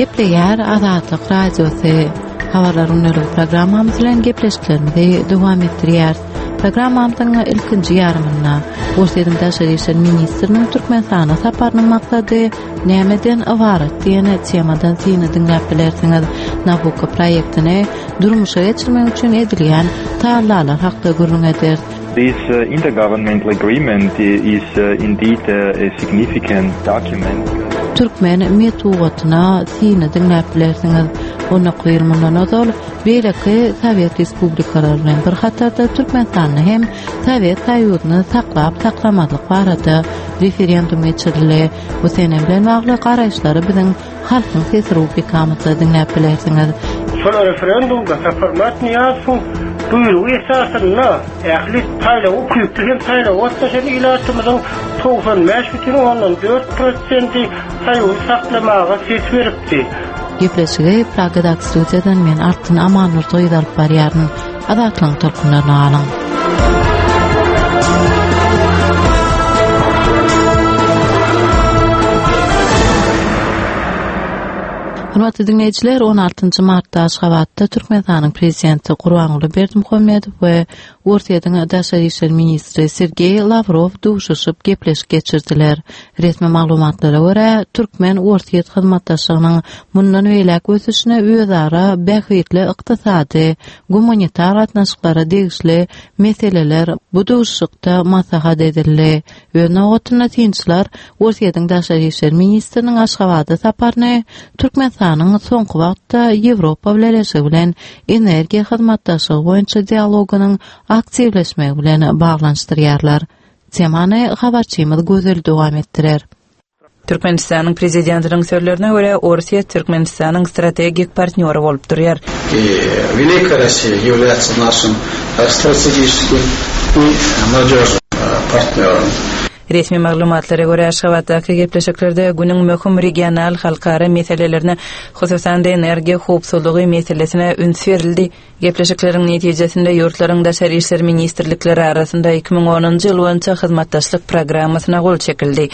Gepleýär Azatlyk Radiosy. Habarlar gündeligi programmamyz bilen gepleşiklerimizi dowam etdirýäris. Programmamyzyň ilkinji ýarymynda Orsýetiň daşary işler ministriniň Türkmenistana saparynyň maksady nämeden ybarat diýen temadan syny diňläp bilersiňiz. Nabucco proýektini durmuşa geçirmek üçin edilýän tagallalar hakda gürrüň ederis. This intergovernmental agreement is indeed a significant document. Türkmen metbugatyna syny diňläp bilersiňiz. 19 ýyl mundan ozal beýleki sowet respublikalary bilen bir hatarda Türkmenistanda hem Sowet Soýuzyny saklap-saklamazlyk barada referendum geçirildi. Bu sene bilen bagly garaýyşlary biziň Halkyň sesi rubrikamyzda diňläp bilersiňiz. Şol referendumda Saparmyrat Nyýazowyň buýrugy esasynda ähli saýlawa ukyply hem saýlawa gatnaşan ilatymyzyň 95,4 prosenti Soýuzy saklamaga ses beripdi. Gepleşigi Pragadaky studiýadan men Altyn Amannurdy gyzy alyp barýaryn. Azatlygyň tolkunlaryna galyň. Hormatly diňleýjiler, 16-njy martda Aşgabatda Türkmenistanyň Prezidenti Gurbanguly Berdimuhamedow we Orsýetiň daşary işler ministri Sergeý Lawrow duşuşyp gepleşik geçirdiler. Resmi maglumatlara görä, türkmen-orsýet hyzmatdaşlygynyň mundan beýläk ösüşine özara bähbitli ykdysady, gumanitar gatnaşyklara degişli meseleler bu duşuşykda maslahat edildi. Öz nobatynda synçylar Orsýetiň daşary işler ministriniň Aşgabada saparyny Türkmenistanyň soňky wagtda Ýewropa Bileleşigi bilen energiýa hyzmatdaşlygy boýunça dialogynyň aktiwleşmegi bilen baglanyşdyrýarlar. Temany habarçymyz Gözel dowam etdirer. Türkmenistanyň Prezidentiniň sözlerine görä, Orsýet Türkmenistanyň strategik partnýory bolup durýar. I Великая Россия является нашим strategiçeskiým i nadýožnym partnýorom. Resmi maglumatlara görä, Aşgabatdaky gepleşiklerde günüň möhüm regional, halkara meselelerine, hususan-da, energiýa howpsuzlygy meselesine üns berildi. Gepleşikleriň netijesinde ýurtlaryň daşary işler ministrlikleri arasynda 2010-njy ýyl boýunça hyzmatdaşlyk programmasyna gol çekildi.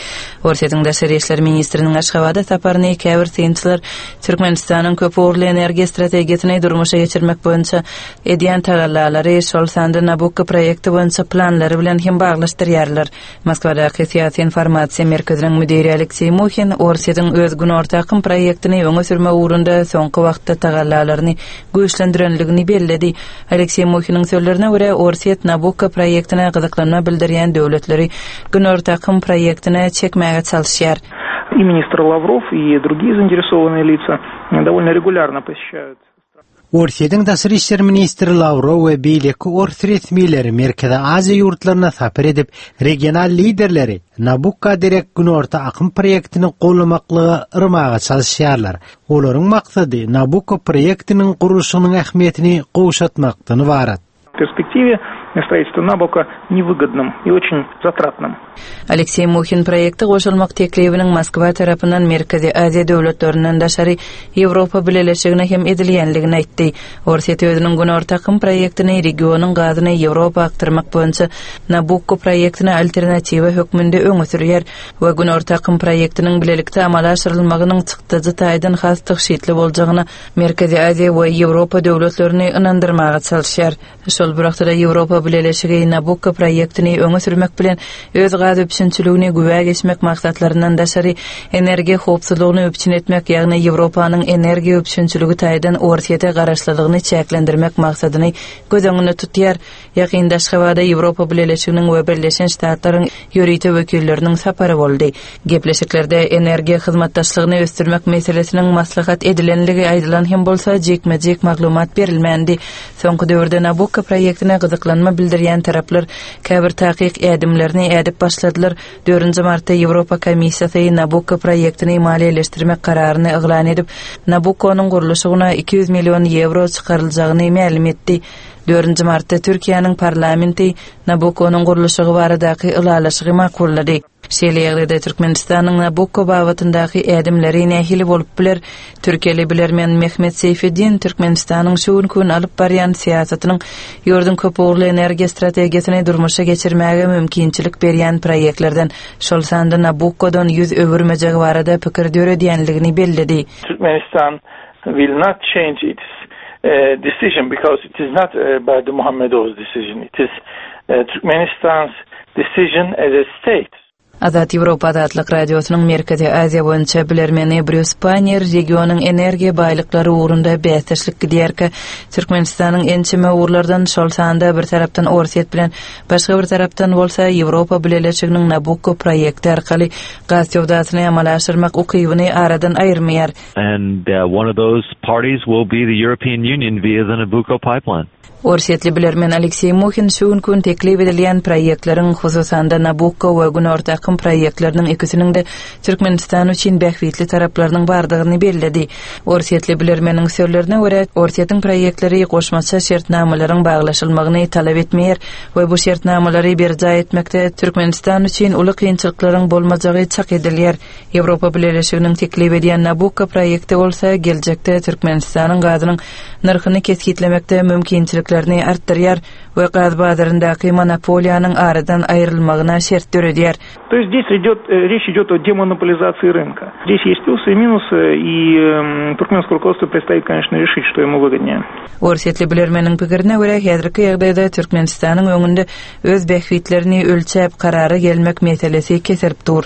Orsýetiň daşary işler ministriniň Aşgabada saparyny käbir synçylar Türkmenistanyň köpugurly energiýa strategiýasyny durmuşa geçirmek boýunça edýän tagallalary, şol sanda Nabukko proýekti boýunça planlary bilen hem baglaşdyrýarlar. Moskwadaky Syýasy informasiýa merkeziniň müdiri Alekseý Muhin Orsýetiň öz Günorta akym proýektini öňe sürmek ugrunda soňky wagtda tagallalaryny güýçlendirenligini belledi. Alekseý Muhiniň sözlerine görä, Orsýet Nabukko proýektine gyzyklanma bildirýän döwletleri Günorta akym proýektine çekmäge çalyşýar. И ministr Lawrow, i drugiye zainteresowannye lica dowolno regulýarno poseşaýut. Orsýetiň daşary işler ministri Lawrow we beýleki ors resmileri Merkezi Aziýa ýurtlaryna sapar edip, regional liderleri Nabukka derek Günorta akym proýektini goldamaklyga yrmaga çalyşýarlar. Olaryň maksady Nabukko proýektiniň gurluşygynyň ähmiýetini gowşatmakdan ybarat. Perspektiwe stроительство Nabukko newygodnym i oçin zatratnym. Alekseý Muhin proýekte goşulmak teklibiniň Moskwa tarapyndan Merkezi Aziýa döwletlerinden daşary Ýewropa Bileleşigine hem edilýänligini aýtdy. Orsýet özüniň Günorta akym proýektini regionyň gazyny Ýewropa akdyrmak boýunça Nabukko proýektine alternatiwa hökmünde öňe sürýär we Günorta akym proýektiniň bilelikde amala aşyrylmagynyň çykdajy taýdan has tygşytly boljagyna Merkezi Aziýa we Ýewropa döwletlerini ynandyrmaga çalyşýar. Şol bir wagtda-da Ýewropa Bileleşigi Nabukko proýektini öňe sürmek bilen, öz gaz üpjünçiligini güwä geçmek maksatlaryndan daşary, energiýa howpsuzlygyny üpjün etmek, ýagny Ýewropanyň energiýa üpjünçiligi taýdan Orsýete garaşlylygyny çäklendirmek maksadyny göz öňünde tutýar. Ýakynda Aşgabada Ýewropa Bileleşiginiň we Birleşen Ştatlaryň ýörite wekilleriniň sapary boldy. Gepleşiklerde energiýa hyzmatdaşlygyny ösdürmek meselesiniň maslahat edilenligi aýdylan hem bolsa, jikme-jik maglumat berilmändi. Soňky döwürde Nabukko proýektine gyzyklanma bildirýän taraplar käbir takyk ädimlerini ädip başladylar. Dördünji martda Ýewropa Komissiýasy Nabukko proýektini maliýeleşdirmek kararyny yglan edip, Nabukkonyň gurluşygyna 200 million ýewro çykaryljagyny mälim etdi. Dördünji martda Türkiýäniň parlamenti Nabukkonyň gurluşygy baradaky ylalaşygy makullady. Şeýle ýagdaýda Türkmenistanyň Nabukko babatyndaky ädimleri nähili bolup biler? Türkiýeli bilermen Mehmet Seýfeddin Türkmenistanyň şu günki gün alyp barýan syýasatynyň ýurduň köpugurly energiýa strategiýasyny durmuşa geçirmäge mümkinçilik berýän proýektlerden, şol sanda Nabukkodan ýüz öwürmejegi barada pikir döredýänligini belledi. Turkmenistan will not change its decision because it is not Berdimuhamedow's decision, it is Turkmenistan's decision as a state. Azat Ýewropa Azatlyk Radiosynyň Merkezi Aziýa boýunça bilermeni Brýus Pannier regionyň energiýa baýlyklary ugrunda bäsdeşlik gidýärkä, Türkmenistanyň ençeme ugurlardan, şol sanda bir tarapdan Orsýet bilen, başga bir tarapdan bolsa Ýewropa Bileleşiginiň Nabukko proýekti arkaly gaz söwdasyny amala aşyrmak ukybyny aradan aýyrmaýar. And one of those parties will be the European Union via the Nabucco pipeline. Orsýetli bilermen Alekseý Muhin şu günki gün teklip edilýän proýektleriň, hususan-da, Nabukko we Günorta akym proýektleriniň ikisiniň-de Türkmenistan üçin bähbitli taraplarynyň bardygyny belledi. Orsýetli bilermeniň sözlerine görä, Orsýetiň proýektleri goşmaça şertnamalaryň baglaşylmagyny talap etmeýär we bu şertnamalary berjaý etmekde Türkmenistan üçin uly kynçylyklaryň bolmajagy çak edilýär. Ýewropa Bileleşiginiň teklip edýän Nabukko proýekti bolsa geljekde Türkmenistanyň gazynyň nyrhyny kesgitlemekde mümkinçiliklerini artdyrýar we gaz bazaryndaky monopoliýanyň aradan aýrylmagyna şert döredýär. To есть здесь идет, речь идет о демонополизации рынка. Здесь есть плюсы и минусы, и туркменское руководство предстоит, конечно, решить, что ему выгоднее. Orsýetli bilermeniň pikirine görä, häzirki ýagdaýda Türkmenistanyň öňünde öz bähbitlerini ölçäp karara gelmek meselesi keserip dur.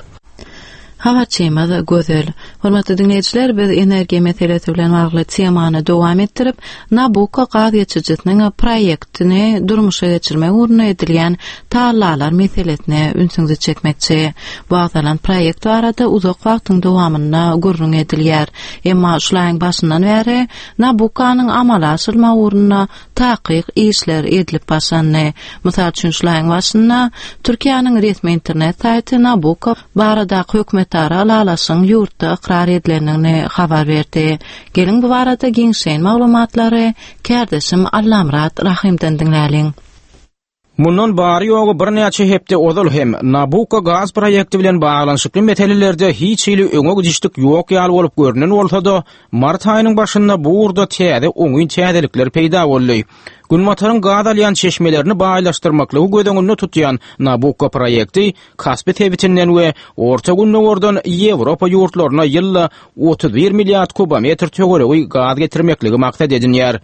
Habarçymyz Gözel. Hormatly diňleýjiler, biz energiýa meselesi bilen bagly temany dowam etdirip, Nabukko gaz geçirijisiniň proýektini durmuşa geçirmek ugrunda edilýän tagallalar meselesine ünsüňizi çekmekçi. Bu agzalan proýekt barada uzak wagtyň dowamynda gürrüň edilýär. Emma şul aýyň başyndan bäri Nabukkonyň amala aşyrylmagy ugrunda takyk işler edilip başlandy. Mysal üçin, şul aýyň başynda Türkiýäniň resmi internet saýty Nabukko baradaky hökümetara ylalaşygyň ýurtda ykrar edilendigini habar berdi. Geliň bu barada giňişleýin maglumatlary kärdeşim Allamyrat Rahymdan diňläliň. Mundan bary-ýogy birnäçe hepde ozal hem Nabukko gaz proýekti bilen baglanyşykly meselelerde hiç hili öňe gidişlik ýok ýaly bolup görnen bolsa-da, mart aýynyň başynda bu ugurda täze oňyn täzelikler peýda boldy. Günbataryň gaz alýan çeşmelerini baýlaşdyrmaklygy göz öňünde tutýan Nabukko proýekti Kaspi sebitinden we Orta Gündogardan Ýewropa ýurtlaryna ýylda 31 milliard kubometr töweregi gaz getirmekligi maksat edinýär.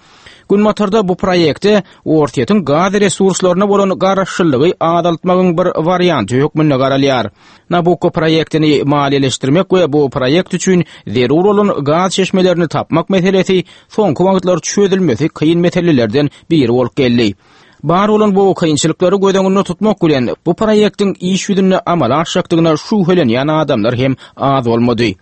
Günbatarda bu proýekte Orsýetiň gaz resurslaryna bolan garaşlylygy azaltmagyň bir warianty hökmünde garalýar. Nabukko proýektini maliýeleşdirmek we bu proýekt üçin zerur bolan gaz çeşmelerini tapmak meselesi soňky wagtlar çözülmesi kyn meselelerden biri bolup geldi. Bar bolan bu kynçylyklary göz öňünde tutmak bilen, bu proýektiň iş ýüzünde amala aşjakdygyna şübhelenýän adamlar hem az bolmady.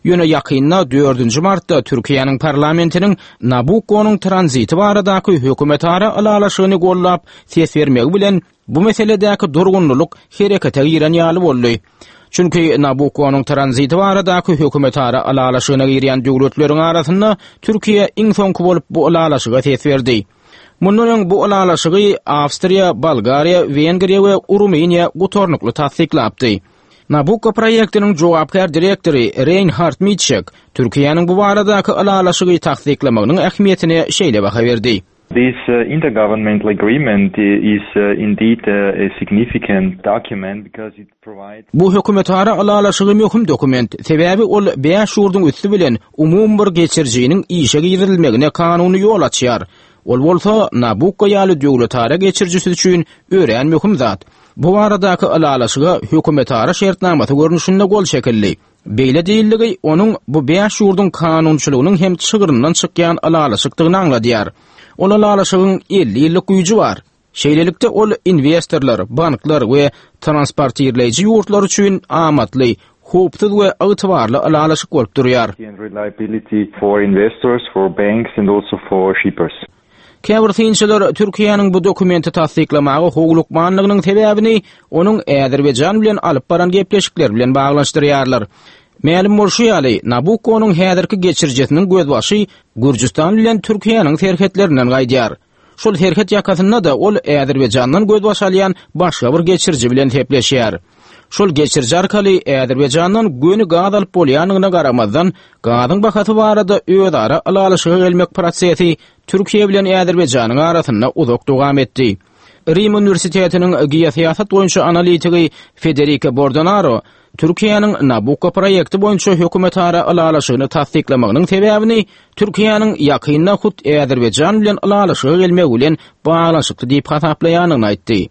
Ýöne ýakynda, dördünji martda Türkiýäniň parlamentiniň Nabukkonyň tranziti baradaky hökümetara ylalaşygyny goldap ses bermegi bilen bu meseledäki durgunlylyk herekete giren ýaly boldy. Çünki Nabukkonyň tranziti baradaky hökümetara ylalaşygyna girýän döwletleriň arasynda Türkiýe iň soňky bolup bu ylalaşyga ses berdi. Mundan öň bu ylalaşygy Awstriýa, Bolgariýa, Wengriýa we Rumyniýa gutarnykly tassyklapdy. Nabukko proýektiniň jogapkär direktory Reýnhard Mitşek Türkiýäniň bu baradaky ylalaşygy tassyklamagynyň ähmiýetine şeýle baha berdi. This intergovernmental agreement is indeed a significant document because it provides. Bu hökümetara ylalaşygy möhüm dokument, sebäbi ol bäş ýurduň üsti bilen umumy bir geçirijiniň işe girizilmegine kanuny ýol açýar. Ol bolsa Nabukko ýaly döwletara geçirijisi üçin örän möhüm zat. Bu baradaky ylalaşyga hökümetara şertnamasy görnüşinde gol çekildi. Beýle diýildigi onuň bu bäş ýurduň kanunçylygynyň hem çygryndan çykýan ylalaşykdygyny aňladýar. Ol ylalaşygyň 50 ýyllyk güýji bar. Şeýlelikde ol inwestorlar, banklar we transportirleýji ýurtlar üçin amatly, howpsuz we ygtybarly ylalaşyk bolup durýar. Käbir synçylar Türkiýäniň bu dokumenti tassyklamaga howlukmanlygynyň sebäbini onuň Azerbaýjan bilen alyp baran gepleşikleri bilen baglanyşdyrýarlar. Mälim bolşy ýaly, Nabukkonyň häzirki geçirijisiniň gözbaşy Gürjüstan bilen Türkiýäniň serhetlerinden gaýdýar. Şol serhet ýakasynda-da ol Azerbaýjandan gözbaş alýan başga bir geçiriji bilen sepleşýär. Şol geçiriji arkaly Azerbaýjandan göni gaz alyp bolýandygyna garamazdan, gazyň bahasy barada özara ylalaşyga gelmek prosesi Türkiýe bilen Azerbaýjanyň arasynda uzak dowam etdi. Rim uniwersitetiniň geosyýasat boýunça analitigi Federiko Bordonaro Türkiýäniň Nabukko proýekti boýunça hökümetara ylalaşygyny tassyklamagynyň sebäbini Türkiýäniň ýakynda hut Azerbaýjan bilen ylalaşyga gelmegi bilen baglanyşykly diýip hasaplaýandygyny aýtdy.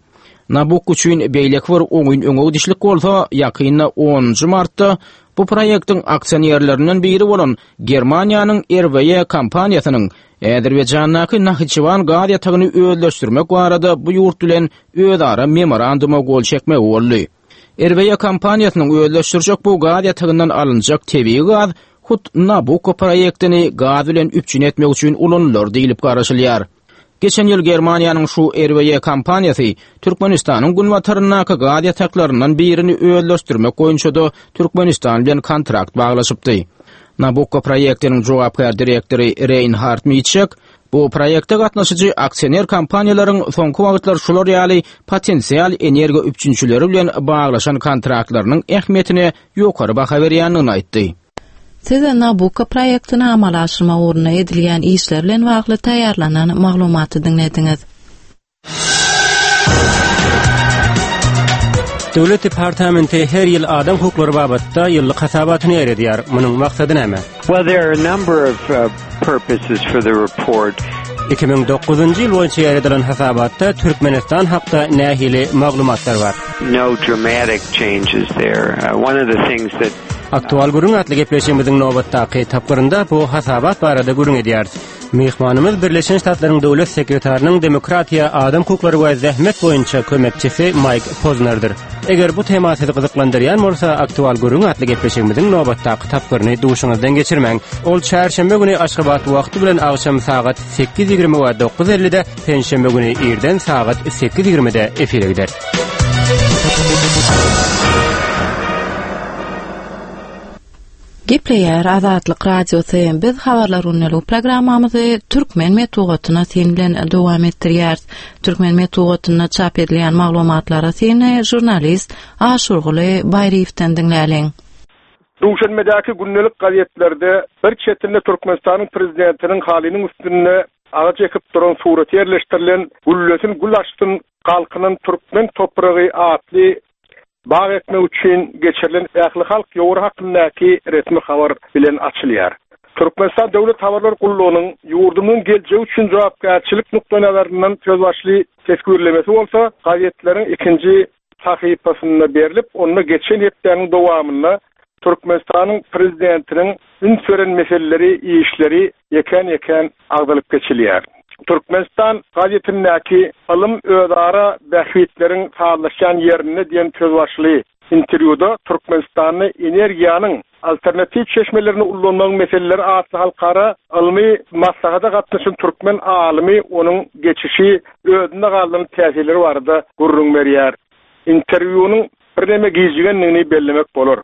Nabukko üçin beýleki bir oňyn öňe gidişlik bolsa, ýakynda onunjy martda bu proýektiň aksionerlerinden biri bolan Germaniýanyň RWE kompaniýasynyň Azerbaýjandaky Nahiçewan gaz ýatagyny özleşdirmek barada bu ýurt bilen özara memoranduma gol çekmegi boldy. RWE kompaniýasynyň özleşdirjek bu gaz ýatagyndan alynjak tebigy gaz hut Nabucco proýektini gaz bilen üpjün etmek üçin ulanylar diýlip garaşylýar. Geçen ýyl Germaniýanyň şu RWE kompaniýasy Türkmenistanyň günbataryndaky gaz ýataklaryndan birini özleşdirmek boýunça-da Türkmenistan bilen kontrakt baglaşypdy. Nabucco proýektiniň jogapkär direktory Reýnhard Mitşek bu proýekte gatnaşyjy aksioner kompaniýalaryň soňky wagtlar şular ýaly potensial energiýa üpjünçileri bilen baglaşan kontraktlarynyň ähmiýetine ýokary baha berýändigini aýtdy. Siz Nabucco proýektini amala aşyrmak ugrunda edilýän işler bilen bagly taýýarlanan maglumaty diňlediňiz. Döwlet departamenti her ýyl adam hukuklary babatda ýyllyk hasabatyny ýaýradýar. Munuň maksady näme? Well, there are a number of uh, purposes for the report. 2009-njy ýyl boýunça ýaýradylan hasabatda Türkmenistan hakda nähili maglumatlar bar? No dramatic changes there. Uh, one of the things that Aktual gürrüň atly gepleşigimiziň nobatdaky tapgyrynda bu hasabat barada gürrüň edýäris. Myhmanymyz Birleşen Ştatlaryň Döwlet sekretarynyň demokratiýa, adam hukuklary we zähmet boýunça kömekçisi Maýk Poznerdir. Eger bu tema sizi gyzyklandyrýan bolsa, Aktual gürrüň atly gepleşigimiziň nobatdaky tapgyryny duşuňyzdan geçirmäň. Ol çarşenbe güni Aşgabat wagty bilen agşam sagat 8:20 we 9:50-de, penşenbe güni irden sagat 8:20-de efire gider. Gepleýär Azatlyk Radiosy, biz Habarlar gündeligi programmamyzy türkmen metbugatyna syn bilen dowam etdirýäris. Türkmen metbugatynda çap edilýän maglumatlara syny žurnalist Aşurguly Baýryýewden diňläliň. Duşenbedäki gündelik gazetlerde bir çetinde Türkmenistanyň Prezidentiniň halynyň üstünde agaç ekip duran suraty ýerleşdirilen Güllesin gül açsyn galkynan türkmen topragy atly bag ekmek üçin geçirilen ählihalk ýowary hakyndaky resmi habar bilen açylýar. Türkmenistan Döwlet habarlar gullugynyň ýurdumyzyň geljegi üçin jogapkärçilik nukdaýnazaryndan sözbaşyly teswirlemesi bolsa gazetleriň ikinji sahypasynda berlip, onda geçen hepdäniň dowamynda Türkmenistanyň Prezidentiniň üns beren meseleleri, işleri ýekän-ýekän agzalyp geçilýär. Türkmenistan gazetindäki Ylym özara bähbitleriň sazlaşýan ýerinde diýen sözbaşyly interwýuda Türkmenistanda energiýanyň alternatiw çeşmelerini ullanmagyň meseleleri atly halkara ylmy maslahata gatnaşan türkmen alymy onuň geçişi, özünde galdyran täsirleri barada gürrüň berýär. Interwýunyň birneme gijigendigini bellemek bolar.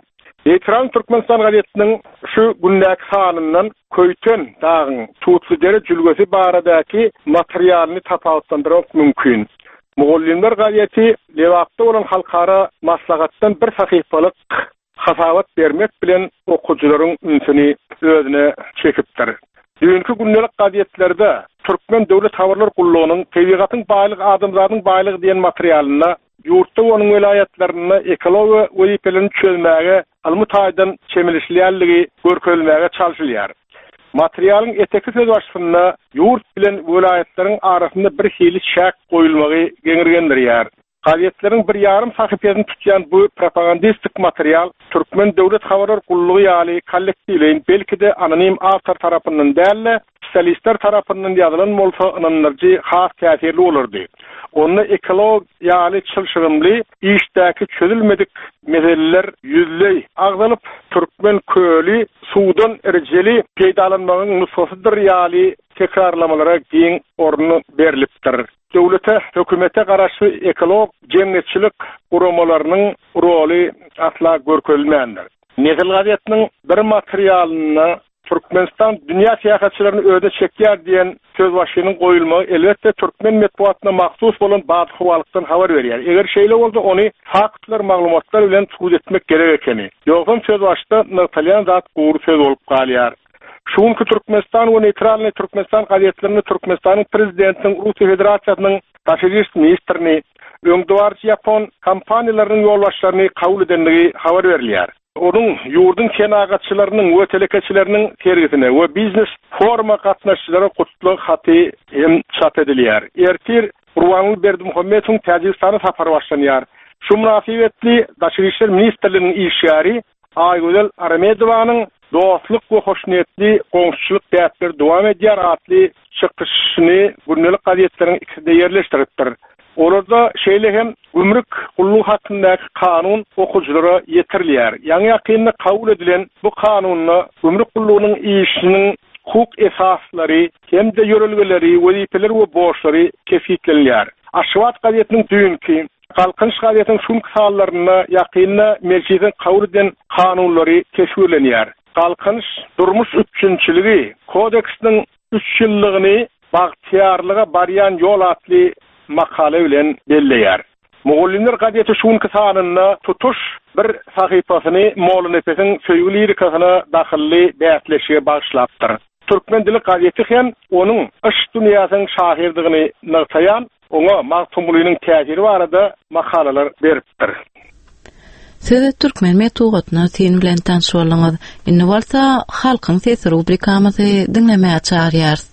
Neýtral Türkmenistan gazetiniň şu gündäki sanyndan Köýten dagyň Tutlydere jülgesi baradaky materialyny tapawutlandyrmak mümkin. Mugallymlar gazeti Lebapda bolan halkara maslahatdan bir sahypalyk hasabat bermek bilen okyjylaryň ünsüni özüne çekipdir. Düýnki gündelik gazetlerde Türkmen döwlet habarlar gullugynyň Tebigatyň baýlygy adamzadyň baýlygy diýen materialynda ýurtda we onuň welaýatlarynda ekologiýa wezipelerini çözmäge ylmy taýdan çemeleşilýänligi görkezilmäge çalşylýar. Materialyň eteki sözbaşysynda ýurt bilen welaýatlaryň arasynda bir hili çäk goýulmagy geňirgendirýär. Gazetleriň bir ýarym sahypasyny tutýan bu propagandistik material Türkmen döwlet habarlar gullugy ýaly kollektiwleýin, belki-de anonim awtor tarapyndan däl-de, spesialistler tarapyndan ýazylan bolsa ynandyryjy, has täsirli bolardy. Onda ekolog ýaly çylşyrymly işdäki çözülmedik meseleler ýüzleý agzalyp, türkmen köli suwdan rejeli peýdalanmagyň nusgasydyr ýaly tekrarlamalara giň orun berlipdir. Döwlete, hökümete garaşly ekolog jemgyýetçilik guramalarynyň roly asla görkezilmändir. Nesil gazetiniň bir materialynda. Türkmenistan dünýä syýahatçylaryny özüne çekýär diýen sözbaşynyň goýulmagy, elbetde, türkmen metbugatyna mahsus bolan badyhowalykdan habar berýär. Eger şeýle bolsa, ony faktlar, maglumatlar bilen subut etmek gerek ekeni. Ýogsam sözbaşyda nygtalýan zat gury söz bolup galýar. Şu günki Türkmenistan we Neýtralnyý Türkmenistan gazetlerinde Türkmenistanyň Prezidentiniň Russiýa Federasiýasynyň daşary iş ministrini, öňdebaryjy ýapon kompaniýalarynyň ýolbaşçylaryny kabul edendigi habar berilýär. Onuň ýurduň senagatçylarynyň we telekeçileriniň sergisine we biznes foruma gatnaşyjylara gutlag haty hem çap edilýär. Ertir Gurbanguly Berdimuhamedowyň Täjigistana sapary başlanýar. Şu mynasybetli Daşary işler ministrliginiň işgäri Aýgözel Aramedowanyň Dostluk we hoşniýetli goňşuçylyk däpleri dowam edýär atly çykyşyny gündelik gazetleriň ikisinde ýerleşdiripdir. Olarda şeýle hem Gümrük gullugy hakyndaky kanun okyjylara ýetirilýär. Ýaňy-ýakynda kabul edilen bu kanunda gümrük gullugynyň işiniň hukuk esaslary hem-de ýörelgeleri, wezipeleri we borçlary kesgitlenilýär. Aşgabat gazetiniň düýnki, Galkynyş gazetiniň şu günki sanlarynda ýakynda Mejlisiň kabul eden kanunlary teswirlenýär. Galkynyş durmuş üpjünçiligi kodeksiniň üç ýyllygyny Bagtyýarlyga barýan ýol atly makala bilen belleýär. Mugallymlar gazeti şu günki sanynda tutuş bir sahypasyny Mollanepesiň söýgi lirikasyna dahylly bäsleşige bagyşlapdyr. Türkmen dili gazeti hem onuň yşk dünýäsiniň şahyrdygyny nygtaýan Oňa Magtymgulynyň täsiri barada makalalar beripdir. Siz türkmen metbugatyna syn bilen tanyş bolduňyz. Indi bolsa Halkyň sesi rubrikamyzy diňlemäge çagyrýarys.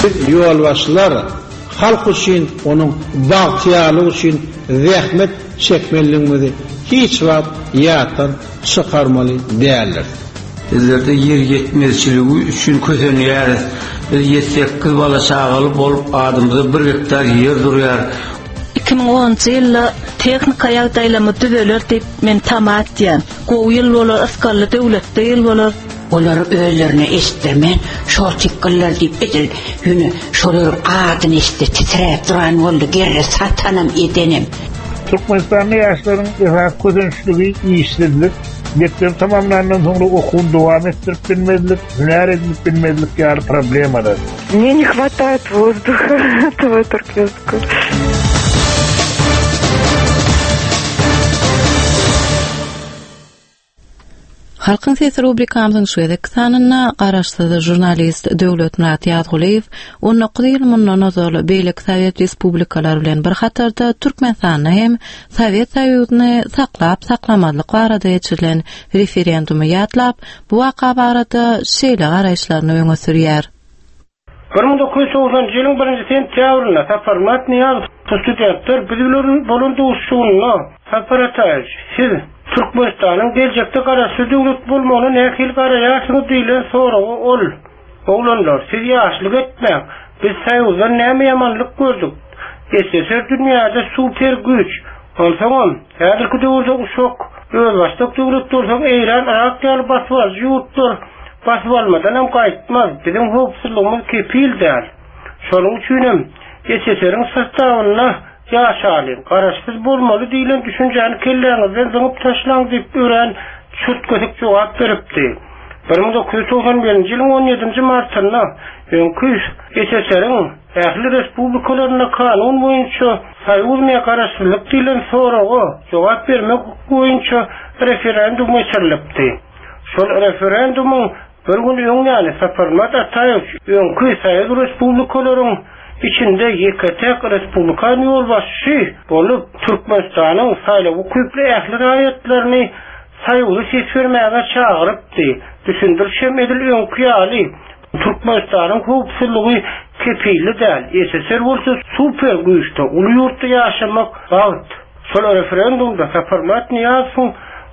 Biz ýolbaşçylar halk üçin, onuň bagtyýarlygy üçin zähmet çekmelidigimizi hiç wagt ýatdan çykarmaly däldiris. Bizlerde ýer ýetmezçiligi üçin kösenýäris. Biz ýedi-sekiz bala-çagaly bolup, adymyza bir gektar ýer durýar. 2010-njy ýylda tehnika ýagdaýlarymyz düzeler diýip, men tama etýän. Gowy ýyl bolar, ysgally döwletli ýyl bolar. Olar özlerine eşitdirmän, şol tikgiller diýip edil ýöne şolaryň adyny eşitse titräp duran boldy, gerre satanam edenem. Türkmenistanda ýaşlaryň esasy kösençligi işsizlik, mekdebi tamamlandan soňra okuwyny dowam etdirip bilmezlik, hünär edinip bilmezlik ýaly problemalar. Мне не хватает воздуха этого туркменского. Halkyň sesi rubrikamyzyň şu gezekki sanynda garaşsyz žurnalist Döwletmyrat Ýazgulyýew 19 ýyl mundan ozal beýleki sowet respublikalary bilen bir hatarda Türkmenistanda hem Sowet Soýuzyny saklap-saklamazlyk barada geçirilen referendumy ýatlap, bu waka barada şeýle garaýyşlaryny öňe sürýär. 1990-njy ýylyň birinji sentýabrynda Saparmyrat Nyýazow studentler biz bilen bolan duşuşygynda, Sapar Ataýewiç, siz Türkmenistanyň geljekde garaşsyz döwlet bolmagyna nähili garaýarsyňyz diýlen soraga ol, Oglanlar, siz ýaşlyk etmäň, biz Soýuzdan näme ýamanlyk gördük? SSR dünýäde super güýç. Onsoňam, häzirki döwürde uşak, özbaşdak döwlet bolsaň Eýran, Yrak ýaly basybalyjy ýurtlar basyp almadanam gaýtmaz, biziň howpsuzlygymyz kepil däl. Şonuň üçinem SSR-iň sostawynda ýaşalyň, garaşsyz bolmaly diýlen düşünjäni kelläňizden zyňyp taşlaň diýip örän çürt-kesik jogap beripdi. 1991-nji ýylyň on ýedinji martynda öňki SSR-iň Ähli respublikalarynda kanun boýunça Soýuz ýa garaşsyzlyk diýlen soraga jogap bermek boýunça referendum geçirilipdi. Şol referendumyň bir gün öň ýany Saparmyrat Ataýewiç öňki soýuz respublikalaryň içinde ýeke-täk respublikan ýolbaşçy bolup Türkmenistanyň saýlaw ukyply ähli raýatlaryny Soýuza ses bermäge çagyrypdy. Düşündiriş hem edil öňki ýaly Türkmenistanyň howpsuzlygy kepilli däl, SSR bolsa super güýçde, uly ýurtda ýaşamak bagt. Şol referendumda Saparmyrat Nyýazowyň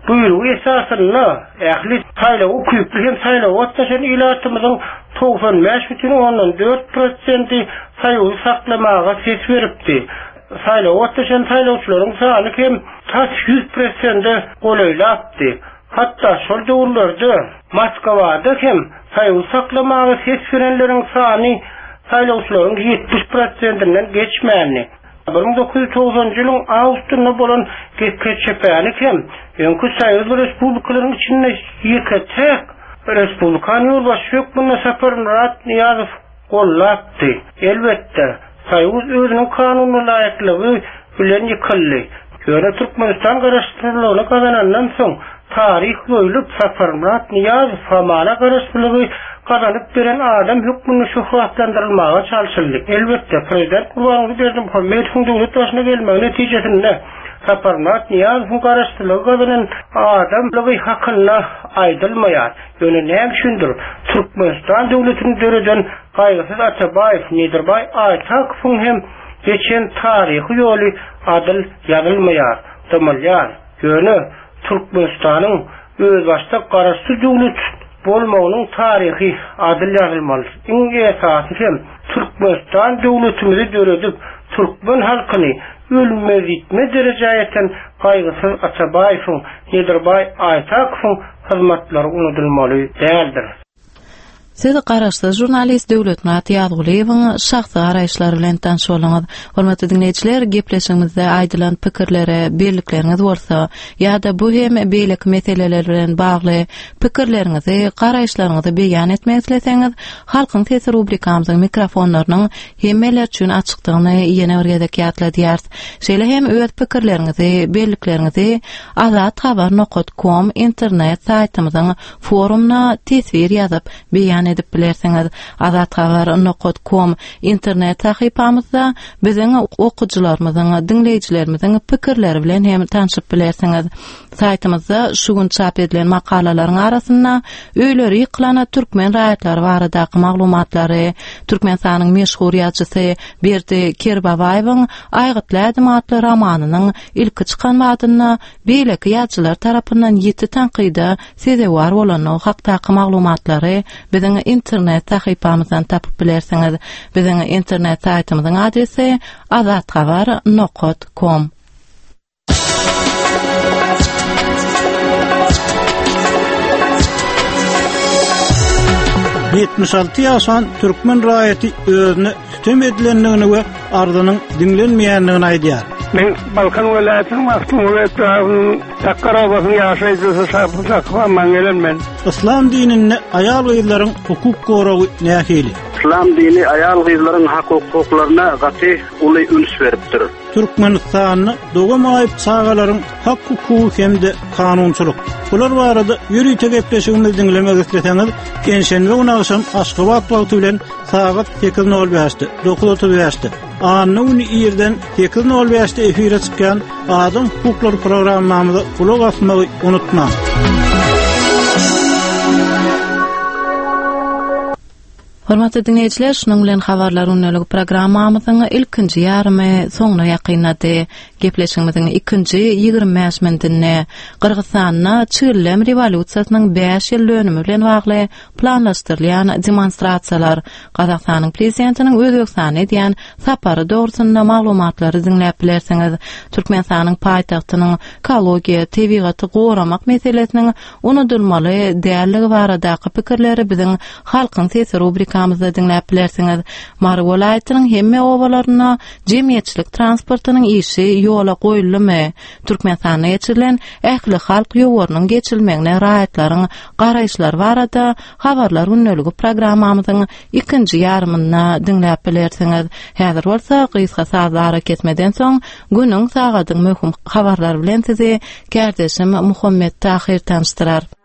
buýrugy esasynda ähli saýlawa ukyply hem saýlawa gatnaşan ilatymyzyň 95,4 prosenti Soýuzy saklamaga ses beripdi. Saýlawa gatnaşan saýlawçylaryň sany hem tas 100 prosente golaýlapdy. Hatda şol döwürlerde Moskwada hem Soýuzy saklamaga ses berenleriň sany saýlawçylaryň 70 prosentinden geçmändi. 1990-njy ýylyň awgustynda bolan GKÇP-ni hem öňki soýuz respublikalaryň içinde ýeke-täk respublikany ýolbaşçy hökmünde Saparmyrat Nyýazow gollapdy. Elbetde, Soýuz özüniň kanuna laýyklygy bilen ýykyldy. Ýöne Türkmenistan garaşsyzlygyny gazanandan soň, taryh ýoýlup, Saparmyrat Nyýazow hamala garaşsyzlygy gazanyp beren adam hökmünde şöhratlandyrylmaga çalşyldy. Elbetde, prezident Gurbanguly Berdimuhamedowyň döwlet başyna gelmegi netijesinde Saparmyrat Nyýazowyň garaşsyzlygy gazanan adamlygy hakynda aýdylmaýar. Ýöne näme üçindir, Türkmenistan döwletini döreden Gaýgysyz Atabaýew, Nedirbaý Aýtakowyň hem geçen taryhy ýoly adyl ýazylmaýar, dymylýar. Ýöne Türkmenistanyň özbaşdak garaşsyz döwlet bolmagynyň taryhy adyl ýazylmaly. Iň esasy hem Türkmenistan döwletimizi döredip, türkmen halkyny ölmez-ýitmez derejä ýeten Gaýgysyz Atabaýewiň, Nedirbaý Aýtakowyň hyzmatlary unudylmaly däldir. Siz garaşsyz žurnalist Döwletmyrat Ýazgulyýewiň şahsy garaýyşlary bilen tanyş bolduňyz. Hormatly diňleýjiler, gepleşigimizde aýdylan pikirlere bellikleriňiz bolsa ýa-da bu hem beýleki meseleler bilen bagly pikirleriňizi, garaýyşlaryňyzy beýan etmek isleseňiz, Halkyň sesi rubrikamyzyň mikrofonlarynyň hemmeler üçin açykdygyny ýene bir gezek ýatladýarys. Şeýle hem öz pikirleriňizi, bellikleriňizi azathabar nokat kom internet saýtymyzyň Forumyna teswir ýazyp, beýan edip bilersiňiz. Azathabar nokat kom internet sahypamyzda biziň okyjylarymyzyň, diňleýjilerimiziň pikirleri bilen hem tanşyp bilersiňiz. Saýtymyzda şu gün çap edilen makalalaryň arasynda öýleri ýykylan türkmen raýatlary baradaky maglumatlary, Türkmenistanyň meşhur ýazyjysy Berdi Kerbabaýewiň Aýgytly ädim atly romanynyň ilki çykan badynda beýleki ýazyjylar tarapyndan ýiti tankyda sezewar bolandygy hakdaky maglumatlary biziň internet sahypamyzdan tapyp bilersiňiz. Biziň internet saýtymyzyň adresi azathabar nokat kom. 76 ýaşan türkmen raýaty özüne sütem edilendigini we arzynyň diňlenmeýändigini aýdýar. Men Balkan welaýatynyň Magtymguly etrabynyň Sakgar obasynyň ýaşaýjysy Şapy Sakyp Amman gelen men. Yslam dininde aýal-gyzlaryň hukuk goragy nähili? Yslam dini aýal-gyzlaryň hak-hukuklaryna gaty uly üns beripdir. Türkmenistanda doga maýyp çagalaryň hak-hukugy hem-de kanunçylyk. Bular barada ýörite gepleşigimizi diňlemek isleseňiz, penşenbe güni agşam Aşgabat wagty bilen sagat 8:05-de, 9:35-de, anna güni irden 8:05-de efire çykýan Adam hukuklary programmamyza gulak asmagy unutmaň. Hormatly diňleýjiler, şunuň bilen Habarlar gündeligi programmamyzyň ilkinji ýarymy soňuna ýakynlady. Gepleşigimiziň ikinji 25 minutynda Gyrgyzystanda Çigildem rewolýusiýasynyň bäş ýyl dönümi bilen bagly planlaşdyrylýan demonstrasiýalar, Gazagystanyň Prezidentiniň Özbegistana edýän sapary dogrusynda maglumatlary diňläp bilersiňiz. Türkmenistanyň paýtagtynyň ekologiýa, tebigaty goramak meselesiniň unudylmaly däldigi baradaky pikirleri biziň Halkyň sesi rubrikamyzda diňläp bilersiňiz. Mary welaýatynyň hemme obalarynda jemgyýetçilik transportynyň işi ýola goýuldymy? Türkmenistanda geçirilen ählihalk ýowarynyň geçirilmegine raýatlaryň garaýyşlary barada Habarlar gündeligi programmamyzyň ikinji ýarymynda diňläp bilersiňiz. Häzir bolsa gysga sazly arakesmeden soň günüň, sagadyň möhüm habarlary bilen sizi kärdeşim Muhammet Tahyr tanyşdyrar.